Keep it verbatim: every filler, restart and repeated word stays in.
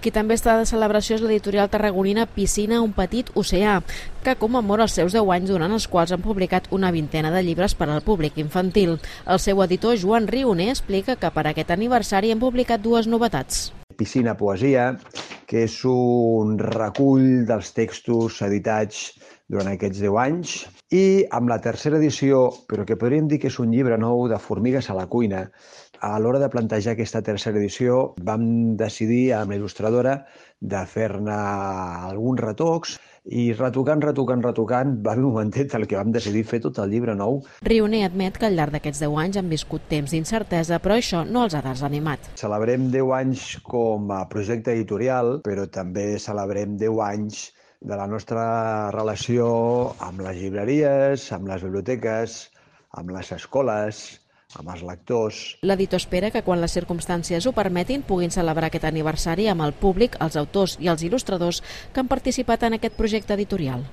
Qui també està de celebració és l'editorial tarragonina Piscina, un petit oceà, que commemora els seus deu anys durant els quals han publicat una vintena de llibres per al públic infantil. El seu editor, Joan Rioner, explica que per aquest aniversari han publicat dues novetats. Piscina Poesia, que és un recull dels textos editats durant aquests deu anys, i amb la tercera edició, però que podríem dir que és un llibre nou de Formigues a la cuina. A l'hora de plantejar aquesta tercera edició vam decidir amb la il·lustradora de fer-ne alguns retocs i retocant, retocant, retocant, va haver un momentet el que vam decidir fer tot el llibre nou. Rioner admet que al llarg d'aquests deu anys han viscut temps d'incertesa, però això no els ha desanimat. Celebrem deu anys com a projecte editorial, però també celebrem deu anys de la nostra relació amb les llibreries, amb les biblioteques, amb les escoles, amb els lectors. L'editor espera que quan les circumstàncies ho permetin puguin celebrar aquest aniversari amb el públic, els autors i els il·lustradors que han participat en aquest projecte editorial.